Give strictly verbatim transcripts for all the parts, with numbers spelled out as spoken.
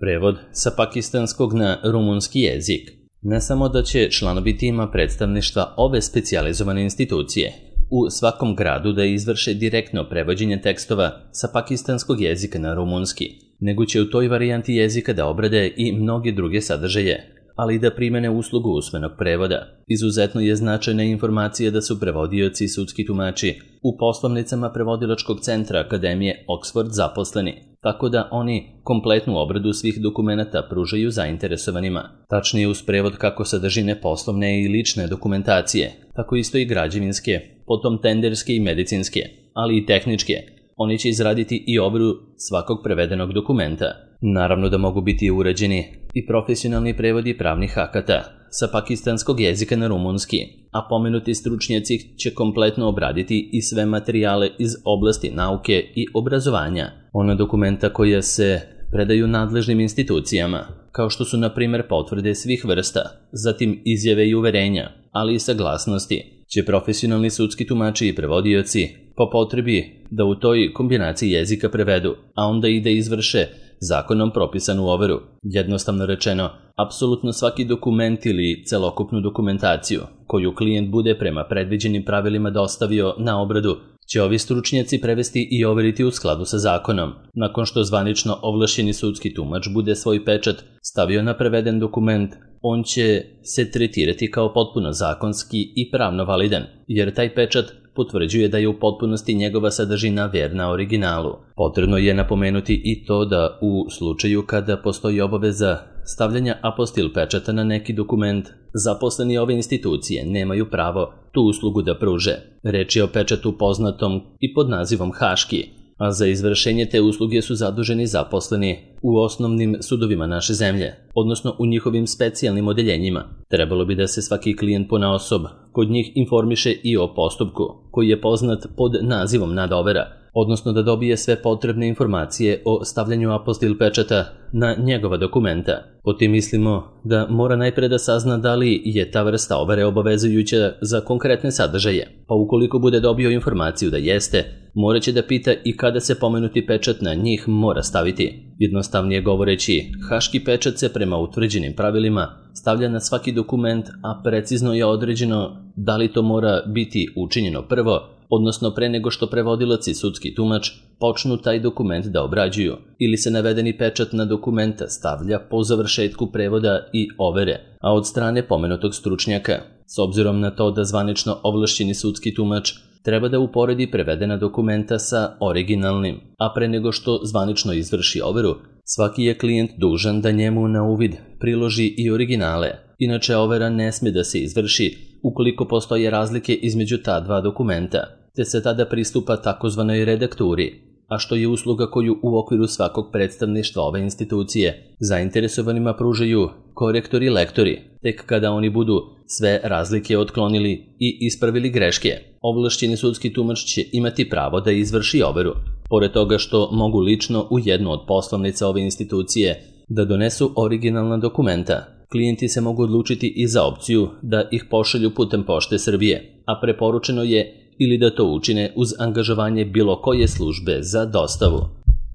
Prevod sa pakistanskog na rumunski jezik. Ne samo da će članovi tima predstavništva ove specijalizovane institucije u svakom gradu da izvrše direktno prevođenje tekstova sa pakistanskog jezika na rumunski, nego će u toj varijanti jezika da obrade i mnoge druge sadržaje, ali i da primene uslugu usmenog prevoda. Izuzetno je značajna informacija da su prevodioci i sudski tumači u poslovnicama prevodilačkog centra Akademije Oxford zaposleni, tako da oni kompletnu obradu svih dokumenata pružaju zainteresovanima. Tačnije uz prevod kako sadržine poslovne i lične dokumentacije, tako isto i građevinske, potom tenderske i medicinske, ali i tehničke. Oni će izraditi i obradu svakog prevedenog dokumenta. Naravno da mogu biti uređeni i profesionalni prevodi pravnih akata sa pakistanskog jezika na rumunski, a pomenuti stručnjaci će kompletno obraditi i sve materijale iz oblasti nauke i obrazovanja. Ona dokumenta koja se predaju nadležnim institucijama, kao što su na primjer potvrde svih vrsta, zatim izjave i uverenja, ali i saglasnosti, će profesionalni sudski tumači i prevodioci po potrebi da u toj kombinaciji jezika prevedu, a onda i da izvrše zakonom propisanu overu. Jednostavno rečeno, apsolutno svaki dokument ili celokupnu dokumentaciju koju klijent bude prema predviđenim pravilima dostavio na obradu će ovi stručnjaci prevesti i overiti u skladu sa zakonom. Nakon što zvanično ovlašćeni sudski tumač bude svoj pečat stavio na preveden dokument, on će se tretirati kao potpuno zakonski i pravno validan, jer taj pečat potvrđuje da je u potpunosti njegova sadržina verna originalu. Potrebno je napomenuti i to da u slučaju kada postoji obaveza stavljanja apostil pečata na neki dokument, zaposleni ove institucije nemaju pravo tu uslugu da pruže. Reč je o pečatu poznatom i pod nazivom haški, a za izvršenje te usluge su zaduženi zaposleni u osnovnim sudovima naše zemlje, odnosno u njihovim specijalnim odeljenjima. Trebalo bi da se svaki klijent ponaosob kod njih informiše i o postupku, koji je poznat pod nazivom nadovera, odnosno da dobije sve potrebne informacije o stavljanju apostil pečata na njegova dokumenta. Po tim mislimo da mora najpre da sazna da li je ta vrsta overe obavezujuća za konkretne sadržaje, pa ukoliko bude dobio informaciju da jeste, moraće da pita i kada se pomenuti pečat na njih mora staviti. Jednostavnije govoreći, haški pečat se prema utvrđenim pravilima stavlja na svaki dokument, a precizno je određeno da li to mora biti učinjeno prvo, odnosno pre nego što prevodilac i sudski tumač počnu taj dokument da obrađuju, ili se navedeni pečat na dokumenta stavlja po završetku prevoda i overe, a od strane pomenutog stručnjaka. S obzirom na to da zvanično ovlašćeni sudski tumač treba da uporedi prevedena dokumenta sa originalnim, a pre nego što zvanično izvrši overu, svaki je klijent dužan da njemu na uvid priloži i originale. Inače, overa ne sme da se izvrši ukoliko postoje razlike između ta dva dokumenta, te se tada pristupa takozvanoj redakturi, a što je usluga koju u okviru svakog predstavništva ove institucije zainteresovanima pružaju korektori i lektori, tek kada oni budu sve razlike otklonili i ispravili greške. Ovlašćeni sudski tumač će imati pravo da izvrši overu. Pored toga što mogu lično u jednu od poslovnica ove institucije da donesu originalna dokumenta, klijenti se mogu odlučiti i za opciju da ih pošalju putem Pošte Srbije, a preporučeno je ili da to učine uz angažovanje bilo koje službe za dostavu.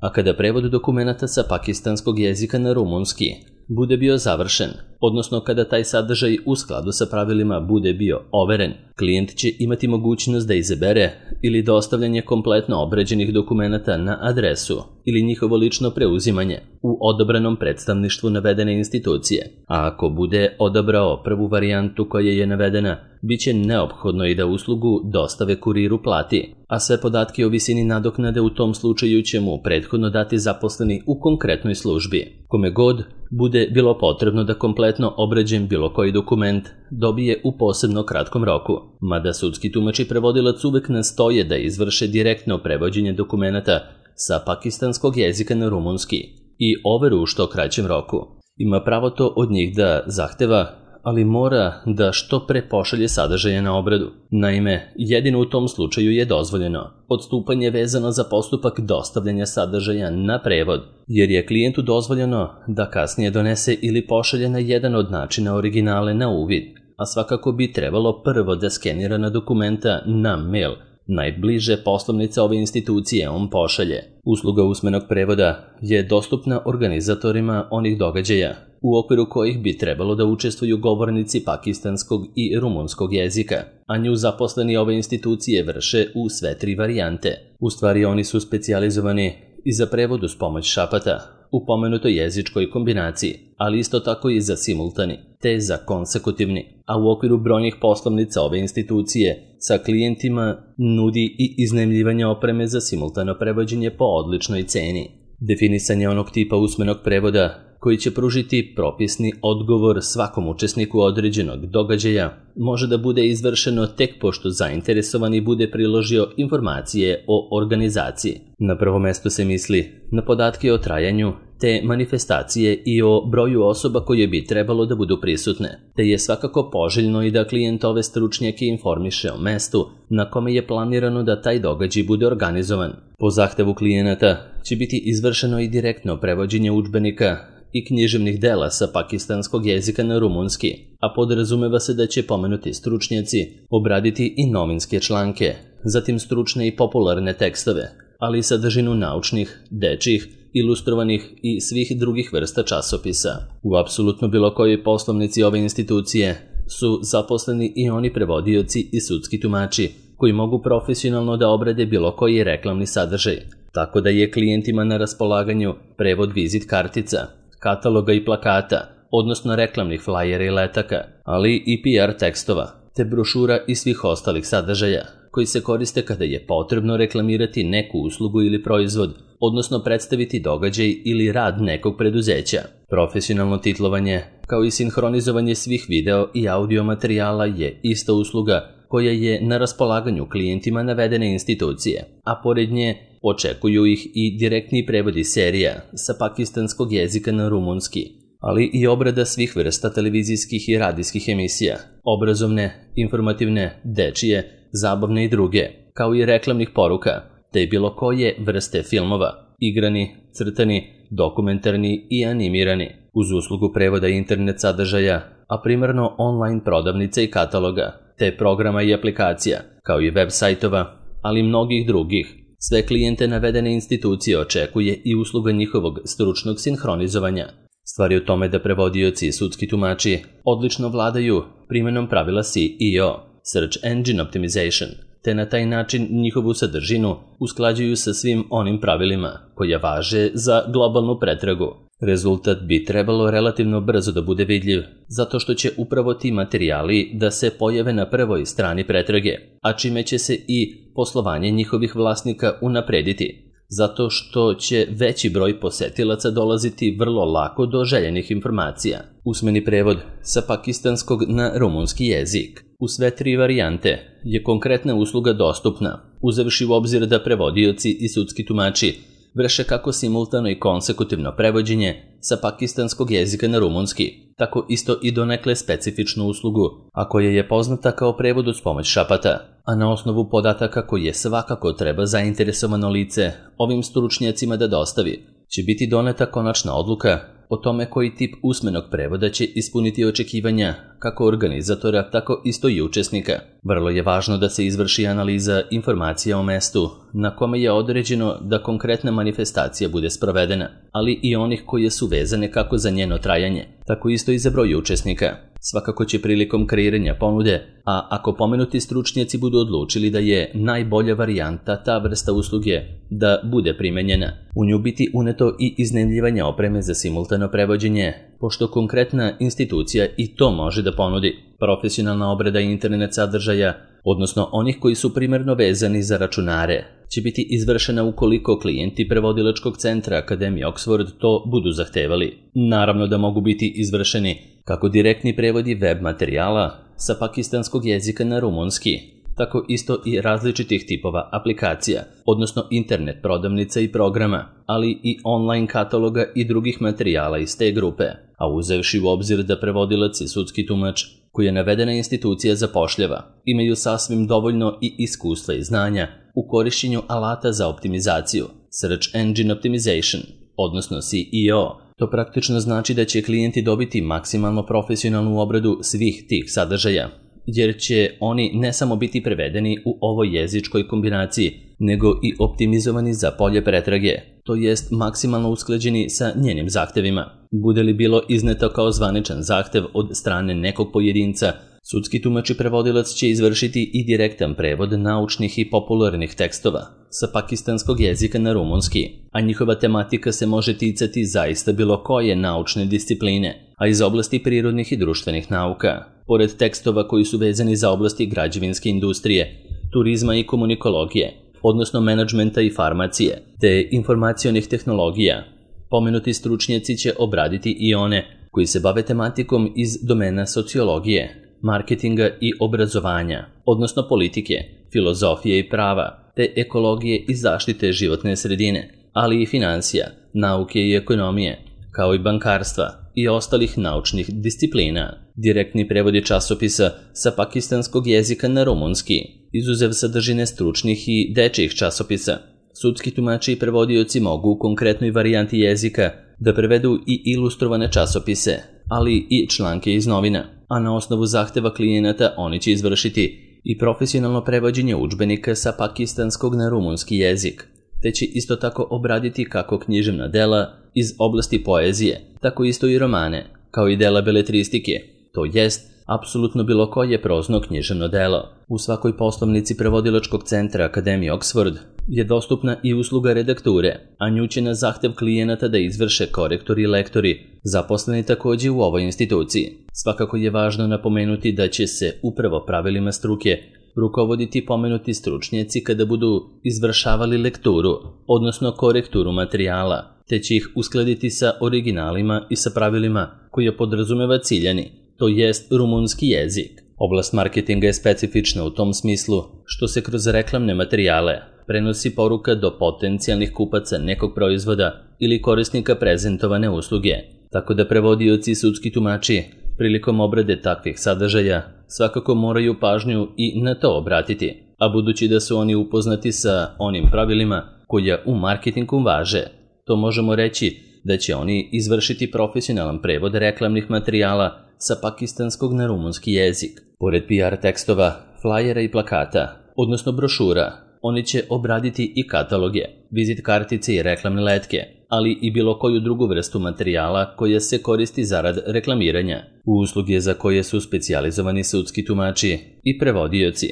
A kada prevod dokumenata sa pakistanskog jezika na rumunski bude bio završen, odnosno kada taj sadržaj u skladu sa pravilima bude bio overen, klijent će imati mogućnost da izabere ili dostavljanje kompletno obrađenih dokumenata na adresu ili njihovo lično preuzimanje u odabranom predstavništvu navedene institucije. A ako bude odabrao prvu varijantu koja je navedena, bit će neophodno i da uslugu dostave kuriru plati, a sve podatke o visini nadoknade u tom slučaju će mu prethodno dati zaposleni u konkretnoj službi. Kome god bude bilo potrebno da kompletno obrađen bilo koji dokument dobije u posebno kratkom roku. Mada sudski tumač i prevodilac uvek nastoje da izvrše direktno prevođenje dokumenata sa pakistanskog jezika na rumunski i overu u što kraćem roku. Ima pravo to od njih da zahteva, ali mora da što pre pošalje sadržaje na obradu. Naime, jedino u tom slučaju je dozvoljeno odstupanje vezano za postupak dostavljanja sadržaja na prevod, jer je klijentu dozvoljeno da kasnije donese ili pošalje na jedan od načina originale na uvid, a svakako bi trebalo prvo da skenira na dokumenta na mail, najbliže poslovnice ove institucije on pošalje. Usluga usmenog prevoda je dostupna organizatorima onih događaja, u okviru kojih bi trebalo da učestvuju govornici pakistanskog i rumunskog jezika, a nju zaposleni ove institucije vrše u sve tri varijante. U stvari oni su specijalizovani i za prevod uz pomoć šapata, u pomenutoj jezičkoj kombinaciji, ali isto tako i za simultani, te za konsekutivni, a u okviru brojnih poslovnica ove institucije sa klijentima nudi i iznajmljivanje opreme za simultano prevođenje po odličnoj ceni. Definisanje onog tipa usmenog prevoda koji će pružiti propisni odgovor svakom učesniku određenog događaja može da bude izvršeno tek pošto zainteresovani bude priložio informacije o organizaciji. Na prvo mesto se misli na podatke o trajanju te manifestacije i o broju osoba koje bi trebalo da budu prisutne, te je svakako poželjno i da klijent ove stručnjake informiše o mestu na kome je planirano da taj događaj bude organizovan. Po zahtevu klijenata će biti izvršeno i direktno prevođenje udžbenika i književnih dela sa pakistanskog jezika na rumunski, a podrazumeva se da će pomenuti stručnjaci obraditi i novinske članke, zatim stručne i popularne tekstove, ali i sadržinu naučnih, dečjih, ilustrovanih i svih drugih vrsta časopisa. U apsolutno bilo kojoj poslovnici ove institucije su zaposleni i oni prevodioci i sudski tumači koji mogu profesionalno da obrade bilo koji reklamni sadržaj, tako da je klijentima na raspolaganju prevod vizit kartica, kataloga i plakata, odnosno reklamnih flajera i letaka, ali i P R tekstova, te brošura i svih ostalih sadržaja, koji se koriste kada je potrebno reklamirati neku uslugu ili proizvod, odnosno predstaviti događaj ili rad nekog preduzeća. Profesionalno titlovanje, kao i sinhronizovanje svih video i audio materijala je ista usluga koja je na raspolaganju klijentima navedene institucije, a pored nje očekuju ih i direktni prevodi serija sa pakistanskog jezika na rumunski, ali i obrada svih vrsta televizijskih i radijskih emisija, obrazovne, informativne, dečije, zabavne i druge, kao i reklamnih poruka, te bilo koje vrste filmova, igrani, crtani, dokumentarni i animirani, uz uslugu prevoda internet sadržaja, a primarno online prodavnica i kataloga, te programa i aplikacija, kao i web sajtova, ali i mnogih drugih. Sve klijente navedene institucije očekuje i usluga njihovog stručnog sinhronizovanja. Stvar je u tome da prevodioci i sudski tumači odlično vladaju primenom pravila S E O, Search Engine Optimization, te na taj način njihovu sadržinu usklađuju sa svim onim pravilima koja važe za globalnu pretragu. Rezultat bi trebalo relativno brzo da bude vidljiv, zato što će upravo ti materijali da se pojave na prvoj strani pretrage, a čime će se i poslovanje njihovih vlasnika unaprediti, zato što će veći broj posetilaca dolaziti vrlo lako do željenih informacija. Usmeni prevod sa pakistanskog na rumunski jezik u sve tri varijante je konkretna usluga dostupna, uzevši u obzir da prevodioci i sudski tumači vrše kako simultano i konsekutivno prevođenje sa pakistanskog jezika na rumunski, tako isto i donekle specifičnu uslugu, a koja je poznata kao prevod uz pomoć šapata, a na osnovu podataka koje svakako treba zainteresovano lice ovim stručnjacima da dostavi, će biti doneta konačna odluka o tome koji tip usmenog prevoda će ispuniti očekivanja kako organizatora, tako isto i učesnika. Vrlo je važno da se izvrši analiza informacija o mestu na kome je određeno da konkretna manifestacija bude sprovedena, ali i onih koje su vezane kako za njeno trajanje, tako isto i za broj učesnika. Svakako će prilikom kreiranja ponude, a ako pomenuti stručnjaci budu odlučili da je najbolja varijanta ta vrsta usluge da bude primenjena, u nju biti uneto i iznajmljivanje opreme za simultano prevođenje, pošto konkretna institucija i to može da ponudi. Profesionalna obrada internet sadržaja, odnosno onih koji su primarno vezani za računare, će biti izvršena ukoliko klijenti prevodilačkog centra Akademije Oxford to budu zahtevali. Naravno da mogu biti izvršeni kako direktni prevodi web materijala sa pakistanskog jezika na rumunski, tako isto i različitih tipova aplikacija, odnosno internet prodavnica i programa, ali i online kataloga i drugih materijala iz te grupe, a uzevši u obzir da prevodilac i sudski tumač koji je navedena institucija zapošljava, imaju sasvim dovoljno i iskustva i znanja u korišćenju alata za optimizaciju, Search Engine Optimization, odnosno S E O. To praktično znači da će klijenti dobiti maksimalno profesionalnu obradu svih tih sadržaja, jer će oni ne samo biti prevedeni u ovoj jezičkoj kombinaciji, nego i optimizovani za polje pretrage, to jest maksimalno usklađeni sa njenim zahtevima. Bude li bilo izneto kao zvaničan zahtev od strane nekog pojedinca, sudski tumač i prevodilac će izvršiti i direktan prevod naučnih i popularnih tekstova sa pakistanskog jezika na rumunski, a njihova tematika se može ticati zaista bilo koje naučne discipline, a iz oblasti prirodnih i društvenih nauka. Pored tekstova koji su vezani za oblasti građevinske industrije, turizma i komunikologije, odnosno menadžmenta i farmacije, te informacionih tehnologija, pomenuti stručnjaci će obraditi i one koji se bave tematikom iz domena sociologije, marketinga i obrazovanja, odnosno politike, filozofije i prava, te ekologije i zaštite životne sredine, ali i finansija, nauke i ekonomije, kao i bankarstva i ostalih naučnih disciplina. Direktni prevodi časopisa sa pakistanskog jezika na rumunski, izuzev sadržine stručnih i dečjih časopisa. Sudski tumači i prevodioci mogu u konkretnoj varijanti jezika da prevedu i ilustrovane časopise, ali i članke iz novina, a na osnovu zahteva klijenata oni će izvršiti i profesionalno prevođenje udžbenika sa pakistanskog na rumunski jezik, te će isto tako obraditi kako književna dela iz oblasti poezije, tako isto i romane, kao i dela beletristike, to jest apsolutno bilo koje prozno književno delo. U svakoj poslovnici prevodilačkog centra Akademije Oxford je dostupna i usluga redakture, a nju će na zahtev klijenata da izvrše korektori i lektori, zaposleni takođe u ovoj instituciji. Svakako je važno napomenuti da će se upravo pravilima struke rukovoditi pomenuti stručnjaci kada budu izvršavali lekturu, odnosno korekturu materijala, te će ih uskladiti sa originalima i sa pravilima koje podrazumeva ciljani, to jest rumunski jezik. Oblast marketinga je specifična u tom smislu što se kroz reklamne materijale prenosi poruka do potencijalnih kupaca nekog proizvoda ili korisnika prezentovane usluge, tako da prevodioci i sudski tumači prilikom obrade takvih sadržaja svakako moraju pažnju i na to obratiti, a budući da su oni upoznati sa onim pravilima koja u marketingu važe, to možemo reći da će oni izvršiti profesionalan prevod reklamnih materijala sa pakistanskog na rumunski jezik. Pored P R tekstova, flajera i plakata, odnosno brošura, oni će obraditi i kataloge, vizit kartice i reklamne letke, ali i bilo koju drugu vrstu materijala koja se koristi zarad reklamiranja. U usluge za koje su specijalizovani sudski tumači i prevodioci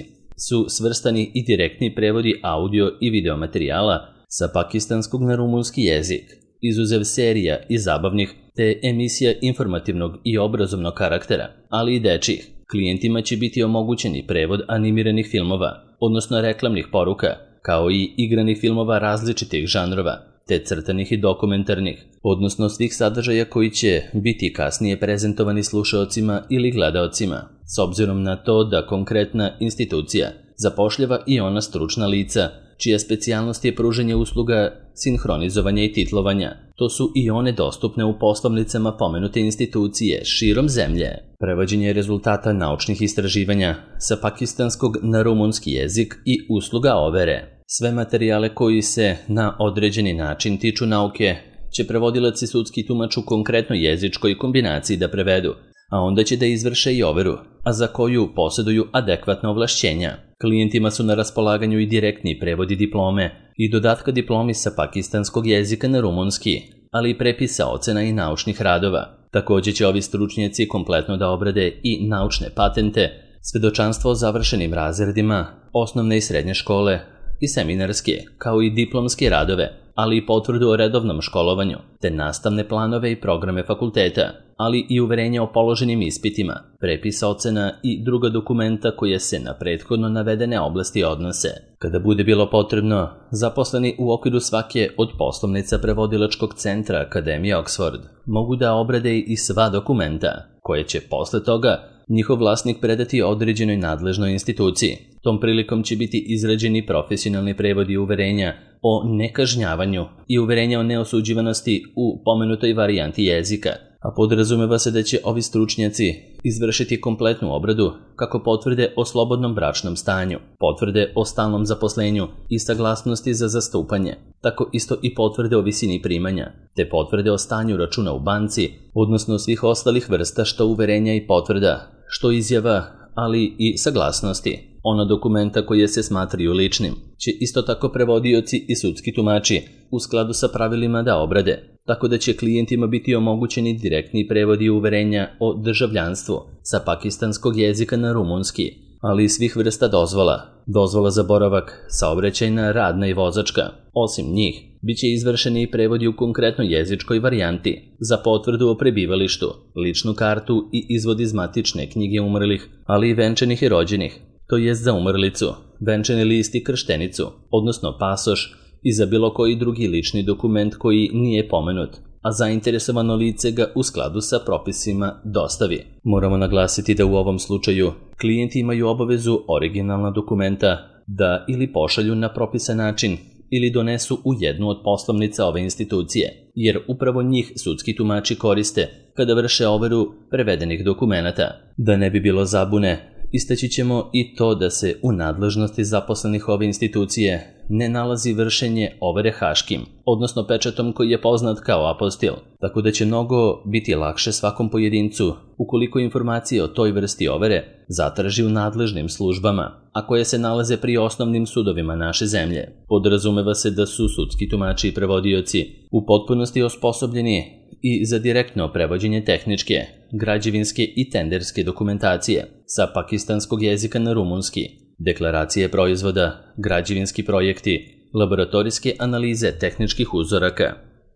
su svrstani i direktni prevodi audio i video materijala sa pakistanskog na rumunski jezik, izuzev serija i zabavnih te emisija informativnog i obrazovnog karaktera, ali i dečjih. Klijentima će biti omogućeni prevod animiranih filmova, odnosno reklamnih poruka, kao i igranih filmova različitih žanrova, te crtanih i dokumentarnih, odnosno svih sadržaja koji će biti kasnije prezentovani slušaocima ili gledaocima, s obzirom na to da konkretna institucija zapošljava i ona stručna lica, čija specijalnost je pružanje usluga sinhronizovanja i titlovanja. To su i one dostupne u poslovnicama pomenute institucije širom zemlje. Prevođenje rezultata naučnih istraživanja sa pakistanskog na rumunski jezik i usluga overe. Sve materijale koji se na određeni način tiču nauke će prevodilac i sudski tumač u konkretnoj jezičkoj kombinaciji da prevedu, a onda će da izvrše i overu, a za koju posjeduju adekvatna ovlašćenja. Klijentima su na raspolaganju i direktni prevodi diplome i dodatka diplomi sa pakistanskog jezika na rumunski, ali i prepisa ocena i naučnih radova. Također će ovi stručnjaci kompletno da obrade i naučne patente, svedočanstvo o završenim razredima, osnovne i srednje škole i seminarske, kao i diplomske radove, ali i potvrdu o redovnom školovanju, te nastavne planove i programe fakulteta, ali i uverenja o položenim ispitima, prepisa ocena i druga dokumenta koje se na prethodno navedene oblasti odnose. Kada bude bilo potrebno, zaposleni u okviru svake od poslovnica prevodilačkog centra Akademije Oxford mogu da obrade i sva dokumenta, koje će posle toga njihov vlasnik predati određenoj nadležnoj instituciji. Tom prilikom će biti izrađeni profesionalni prevodi uverenja o nekažnjavanju i uverenja o neosuđivanosti u pomenutoj varijanti jezika, a podrazumeva se da će ovi stručnjaci izvršiti kompletnu obradu kako potvrde o slobodnom bračnom stanju, potvrde o stalnom zaposlenju i saglasnosti za zastupanje, tako isto i potvrde o visini primanja, te potvrde o stanju računa u banci, odnosno svih ostalih vrsta što uverenja i potvrda, što izjava, ali i saglasnosti. Ona dokumenta koje se smatraju ličnim će isto tako prevodioci i sudski tumači u skladu sa pravilima da obrade, tako da će klijentima biti omogućeni direktni prevodi uverenja o državljanstvu sa pakistanskog jezika na rumunski, ali i svih vrsta dozvola, dozvola za boravak, saobraćajna, radna i vozačka. Osim njih, bit će izvršeni i prevodi u konkretnoj jezičkoj varijanti za potvrdu o prebivalištu, ličnu kartu i izvod iz matične knjige umrlih, ali i venčanih i rođenih, to jest za umrlicu, venčani list i krštenicu, odnosno pasoš i za bilo koji drugi lični dokument koji nije pomenut, a zainteresovano lice ga u skladu sa propisima dostavi. Moramo naglasiti da u ovom slučaju klijenti imaju obavezu originalna dokumenta da ili pošalju na propisan način ili donesu u jednu od poslovnica ove institucije, jer upravo njih sudski tumači koriste kada vrše overu prevedenih dokumenata. Da ne bi bilo zabune, istaći ćemo i to da se u nadležnosti zaposlenih ove institucije ne nalazi vršenje overe haškim, odnosno pečatom koji je poznat kao apostil, tako da će mnogo biti lakše svakom pojedincu ukoliko informacije o toj vrsti overe zatraži u nadležnim službama, a koje se nalaze pri osnovnim sudovima naše zemlje. Podrazumeva se da su sudski tumači i prevodioci u potpunosti osposobljeni i za direktno prevođenje tehničke, građevinske i tenderske dokumentacije sa pakistanskog jezika na rumunski, deklaracije proizvoda, građevinski projekti, laboratorijske analize tehničkih uzoraka,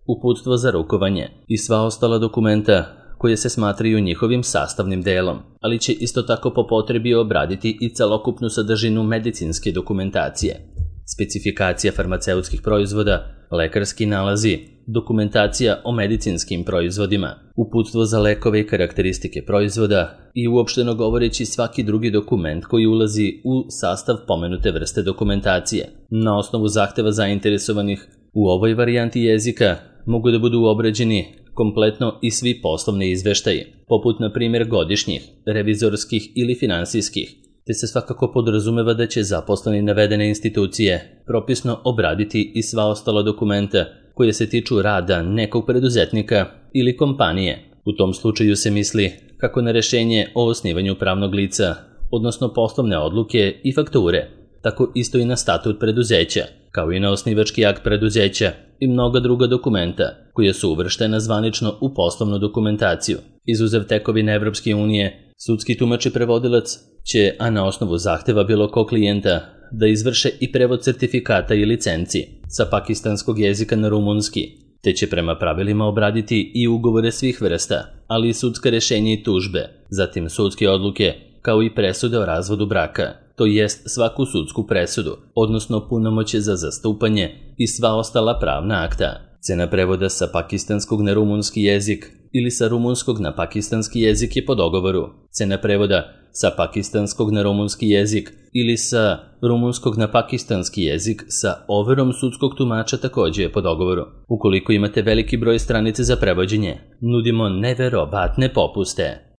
uputstvo za rukovanje i sva ostala dokumenta koje se smatraju njihovim sastavnim delom, ali će isto tako po potrebi obraditi i celokupnu sadržinu medicinske dokumentacije, specifikacija farmaceutskih proizvoda, lekarski nalazi, dokumentacija o medicinskim proizvodima, uputstvo za lekove i karakteristike proizvoda i uopšteno govoreći svaki drugi dokument koji ulazi u sastav pomenute vrste dokumentacije. Na osnovu zahteva zainteresovanih u ovoj varijanti jezika mogu da budu obrađeni kompletno i svi poslovni izveštaji, poput na primjer godišnjih, revizorskih ili finansijskih, te se svakako podrazumeva da će zaposleni navedene institucije propisno obraditi i sva ostala dokumenta koje se tiču rada nekog preduzetnika ili kompanije. U tom slučaju se misli kako na rešenje o osnivanju pravnog lica, odnosno poslovne odluke i fakture, tako isto i na statut preduzeća, kao i na osnivački akt preduzeća i mnoga druga dokumenta koja su uvrštena zvanično u poslovnu dokumentaciju. Izuzev tekovine Evropske unije, sudski tumač i prevodilac će, a na osnovu zahteva bilo kog klijenta, da izvrše i prevod certifikata i licenci sa pakistanskog jezika na rumunski, te će prema pravilima obraditi i ugovore svih vrsta, ali i sudska rešenja i tužbe, zatim sudske odluke, kao i presude o razvodu braka, to jest svaku sudsku presudu, odnosno punomoćje za zastupanje i sva ostala pravna akta. Cena prevoda sa pakistanskog na rumunski jezik ili sa rumunskog na pakistanski jezik je po dogovoru. Cena prevoda sa pakistanskog na rumunski jezik ili sa rumunskog na pakistanski jezik sa overom sudskog tumača također je po dogovoru. Ukoliko imate veliki broj stranice za prevođenje, nudimo neverovatne popuste.